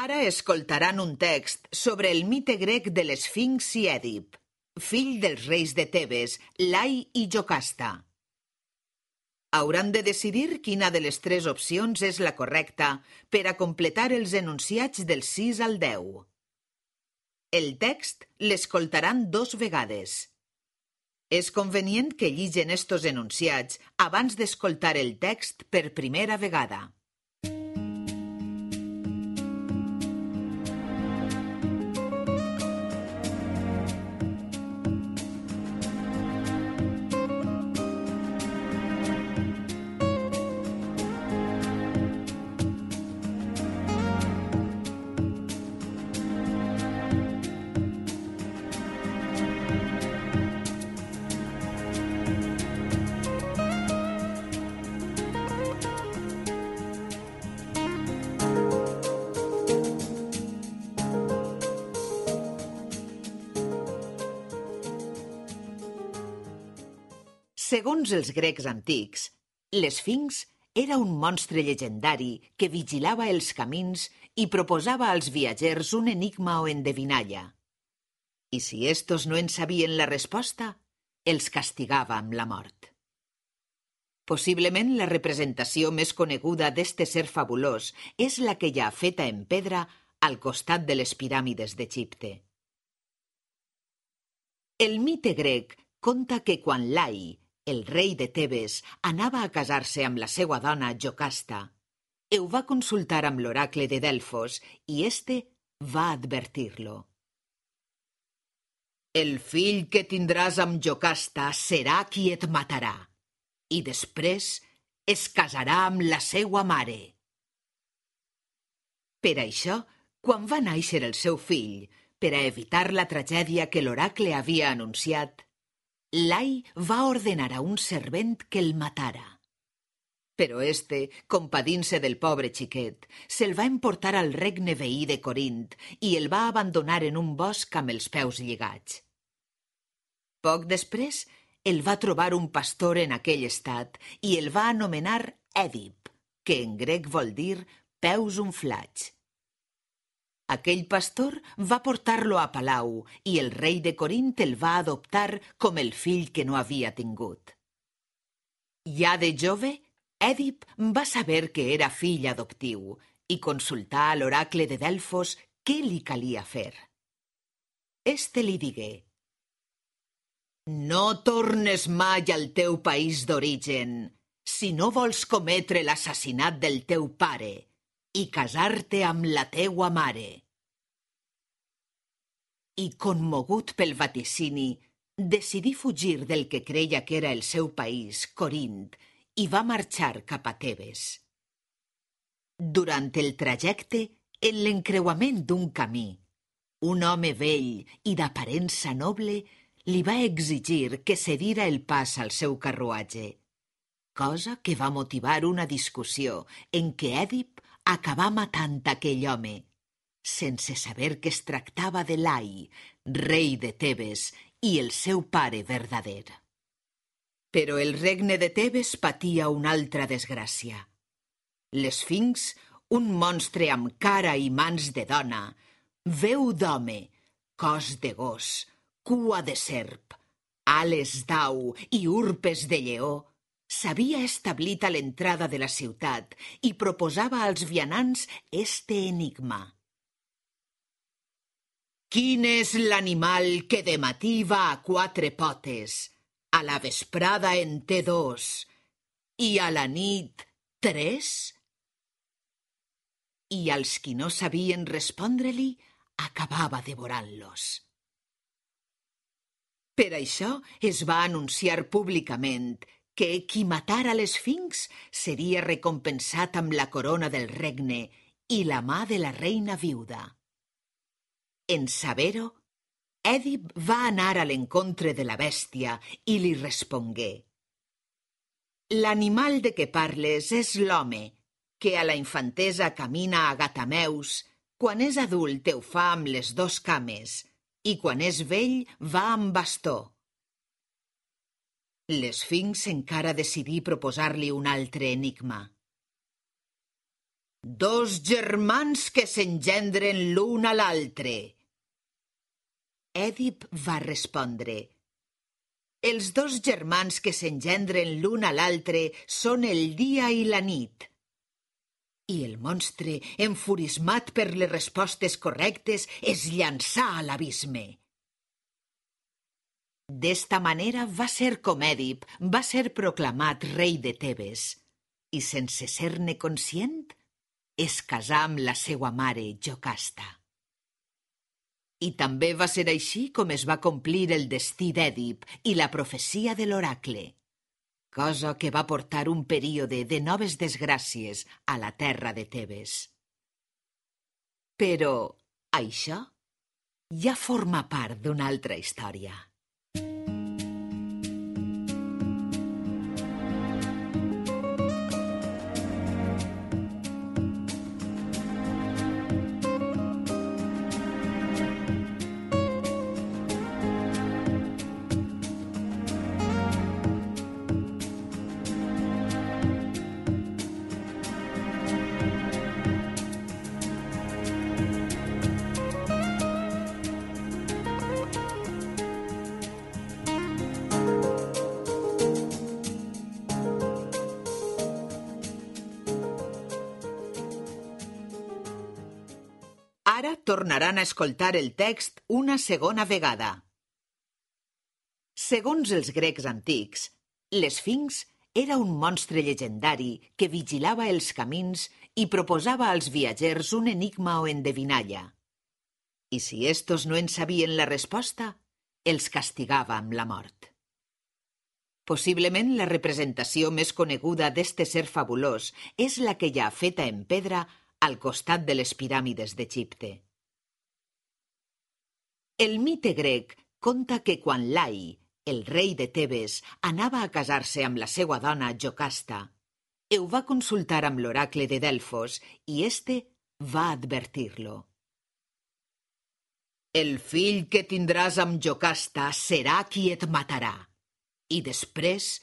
Ara escoltaran un text sobre el mite grec de l'Esfinx i Èdip, fill dels reis de Tebes, Lai i Jocasta. Hauran de decidir quina de les 3 opcions és la correcta per a completar els enunciats del 6 al 10. El text l'escoltaran 2 vegades. És convenient que lligen estos enunciats abans d'escoltar el text per primera vegada. Segons els grecs antics, l'Esfinx era un monstre llegendari que vigilava els camins i proposava als viatgers un enigma o endevinalla. I si estos no en sabien la resposta, els castigava amb la mort. Possiblement la representació més coneguda d'este ser fabulós és la que hi ha feta en pedra al costat de les piràmides d'Egipte. El mite grec conta que quan Lai, el rei de Tebes, anava a casar-se amb la seva dona Jocasta, ho va consultar amb l'oracle de Delfos i este va advertir-lo. El fill que tindràs amb Jocasta serà qui et matarà i després es casarà amb la seva mare. Per això, quan va néixer el seu fill, per a evitar la tragèdia que l'oracle havia anunciat, Lai va ordenar a un servent que el matara. Però este, compadint-se del pobre xiquet, se'l va emportar al regne veí de Corint i el va abandonar en un bosc amb els peus lligats. Poc després, el va trobar un pastor en aquell estat i el va anomenar Èdip, que en grec vol dir peus unflats. Aquell pastor va portar-lo a palau i el rei de Corint el va adoptar com el fill que no havia tingut. Ja de jove, Èdip va saber que era fill adoptiu i consultà a l'oracle de Delfos què li calia fer. Este li digué: «No tornes mai al teu país d'origen si no vols cometre l'assassinat del teu pare i casar-te amb la teua mare». I, commogut pel vaticini, decidí fugir del que creia que era el seu país, Corint, i va marxar cap a Tebes. Durant el trajecte, en l'encreuament d'un camí, un home vell i d'aparença noble li va exigir que cedira el pas al seu carruatge, cosa que va motivar una discussió en què Èdip acabà matant aquell home, sense saber que es tractava de Lai, rei de Tebes, i el seu pare verdader. Però el regne de Tebes patia una altra desgràcia. L'Esfinx, un monstre amb cara i mans de dona, veu d'home, cos de gos, cua de serp, ales d'au i urpes de lleó, s'havia establit a l'entrada de la ciutat i proposava als vianants este enigma. Quin és l'animal que de matí va a 4 potes, a la vesprada en té 2 i a la nit 3? I als qui no sabien respondre-li, acabava devorant-los. Per això es va anunciar públicament que qui matara l'Esfinx seria recompensat amb la corona del regne i la mà de la reina viuda. En saber-ho, Èdip va anar a l'encontre de la bèstia i li respongué: «L'animal de què parles és l'home, que a la infantesa camina a gatameus, quan és adult ho fa amb les 2 cames, i quan és vell va amb bastó». L'Esfinx encara decidí proposar-li un altre enigma. Dos germans que s'engendren l'un a l'altre. Èdip va respondre: els dos germans que s'engendren l'un a l'altre són el dia i la nit. I el monstre, enfurismat per les respostes correctes, es llançà a l'abisme. D'esta manera va ser com Èdip va ser proclamat rei de Tebes i, sense ser-ne conscient, es casà amb la seua mare, Jocasta. I també va ser així com es va complir el destí d'Èdip i la profecia de l'oracle, cosa que va portar un període de noves desgràcies a la terra de Tebes. Però això ja forma part d'una altra història. Ara tornaran a escoltar el text una segona vegada. Segons els grecs antics, l'Esfinx era un monstre llegendari que vigilava els camins i proposava als viatgers un enigma o endevinalla. I si estos no en sabien la resposta, els castigava amb la mort. Possiblement la representació més coneguda d'este ser fabulós és la que hi ha feta en pedra al costat de les piràmides d'Egipte. El mite grec conta que quan Lai, el rei de Tebes, anava a casar-se amb la seua dona Jocasta, ho va consultar amb l'oracle de Delfos i este va advertir-lo. El fill que tindràs amb Jocasta serà qui et matarà i després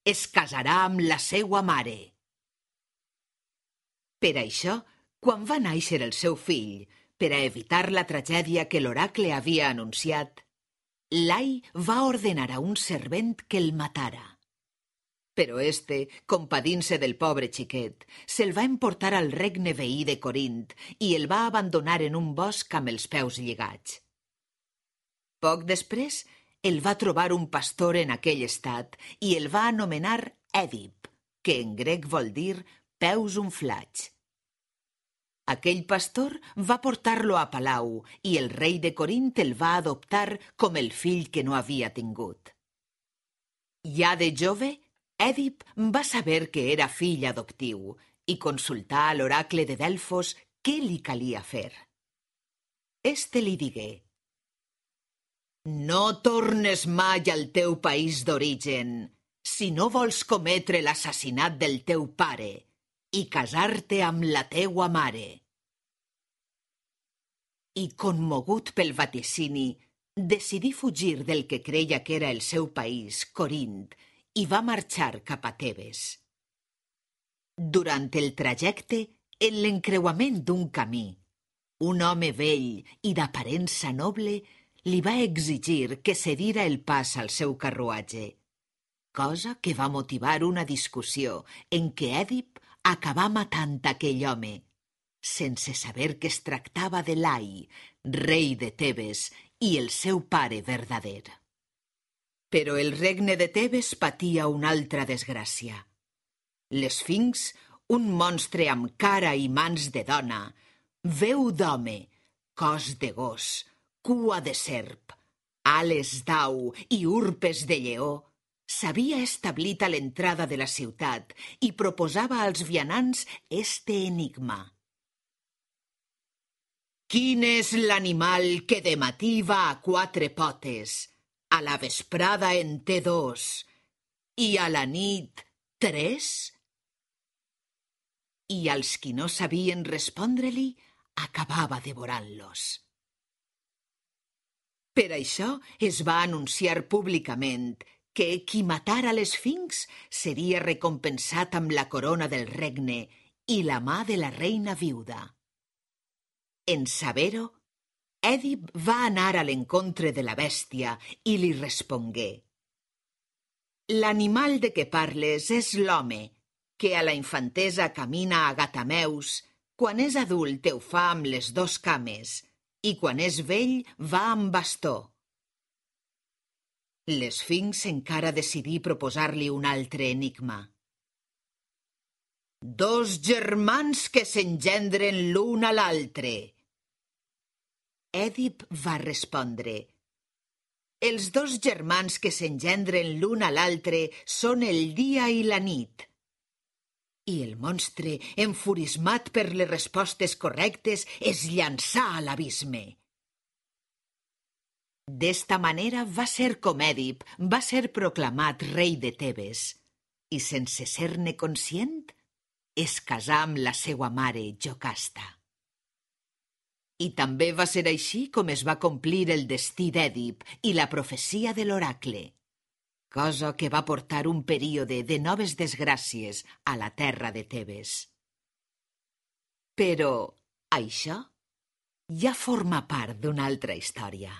es casarà amb la seua mare. Per això, quan va néixer el seu fill, per a evitar la tragèdia que l'oracle havia anunciat, Lai va ordenar a un servent que el matara. Però este, compadint-se del pobre xiquet, se'l va emportar al regne veí de Corint i el va abandonar en un bosc amb els peus lligats. Poc després, el va trobar un pastor en aquell estat i el va anomenar Èdip, que en grec vol dir peus unflats. Aquell pastor va portar-lo a palau i el rei de Corint el va adoptar com el fill que no havia tingut. Ja de jove, Èdip va saber que era fill adoptiu i consultà a l'oracle de Delfos què li calia fer. Este li digué: no tornes mai al teu país d'origen si no vols cometre l'assassinat del teu pare i casar-te amb la teua mare. I, commogut pel vaticini, decidí fugir del que creia que era el seu país, Corint, i va marxar cap a Tebes. Durant el trajecte, en l'encreuament d'un camí, un home vell i d'aparença noble li va exigir que cedira el pas al seu carruatge, cosa que va motivar una discussió en què Èdip acabà matant aquell home, sense saber que es tractava de Lai, rei de Tebes, i el seu pare verdader. Però el regne de Tebes patia una altra desgràcia. L'Esfinx, un monstre amb cara i mans de dona, veu d'home, cos de gos, cua de serp, ales d'au i urpes de lleó, s'havia establit a l'entrada de la ciutat i proposava als vianants este enigma. Quin és l'animal que de matí va a quatre potes, a la vesprada en té dos i a la nit 3? I als qui no sabien respondre-li, acabava devorant-los. Per això es va anunciar públicament que qui matara l'Esfinx seria recompensat amb la corona del regne i la mà de la reina viuda. En saber-ho, Èdip va anar a l'encontre de la bèstia i li respongué: «L'animal de què parles és l'home, que a la infantesa camina a gatameus, quan és adult ho fa amb les dos cames, i quan és vell va amb bastó». L'esfinx encara decidí proposar-li un altre enigma. «Dos germans que s'engendren l'un a l'altre». Èdip va respondre: «Els dos germans que s'engendren l'un a l'altre són el dia i la nit». I el monstre, enfurismat per les respostes correctes, es llançà a l'abisme. D'esta manera va ser com Èdip va ser proclamat rei de Tebes i, sense ser-ne conscient, es casà amb la seua mare Jocasta. I també va ser així com es va complir el destí d'Èdip i la profecia de l'oracle, cosa que va portar un període de noves desgràcies a la terra de Tebes. Però això ja forma part d'una altra història.